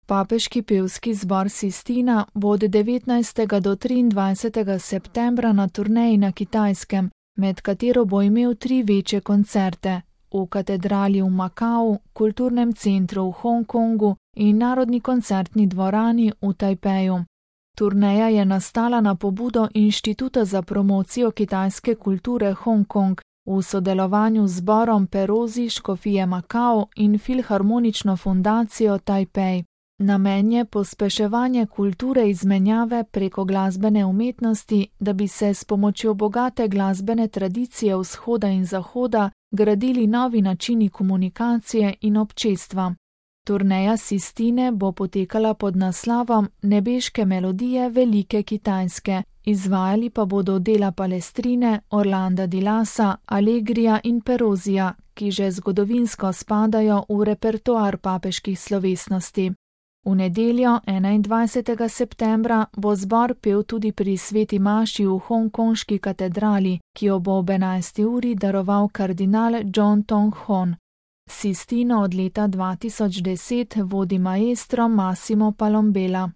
Papeški pevski zbor Sistina bo od 19. do 23. septembra na turneji na Kitajskem, med katero bo imel 3 večje koncerte v katedrali v Makau, kulturnem centru v Hongkongu in narodni koncertni dvorani v Tajpeju. Turneja je nastala na pobudo Inštituta za promocijo kitajske kulture Hongkong v sodelovanju z zborom Perosi škofije Makau in Filharmonično fundacijo Tajpej. Namen je pospeševanje kulture izmenjave preko glasbene umetnosti, da bi se s pomočjo bogate glasbene tradicije vzhoda in zahoda gradili novi načini komunikacije in občestva. Turneja Sistine bo potekala pod naslovom Nebeške melodije velike Kitajske, izvajali pa bodo dela Palestrine, Orlanda di Lassa, Allegrija in Perosija, ki že zgodovinsko spadajo v repertoar papeških slovesnosti. V nedeljo, 21. septembra, bo zbor pel tudi pri sveti maši v hongkonški katedrali, ki jo bo ob 11. uri daroval kardinal John Tong Hon. Sistino od leta 2010 vodi maestro Massimo Palombela.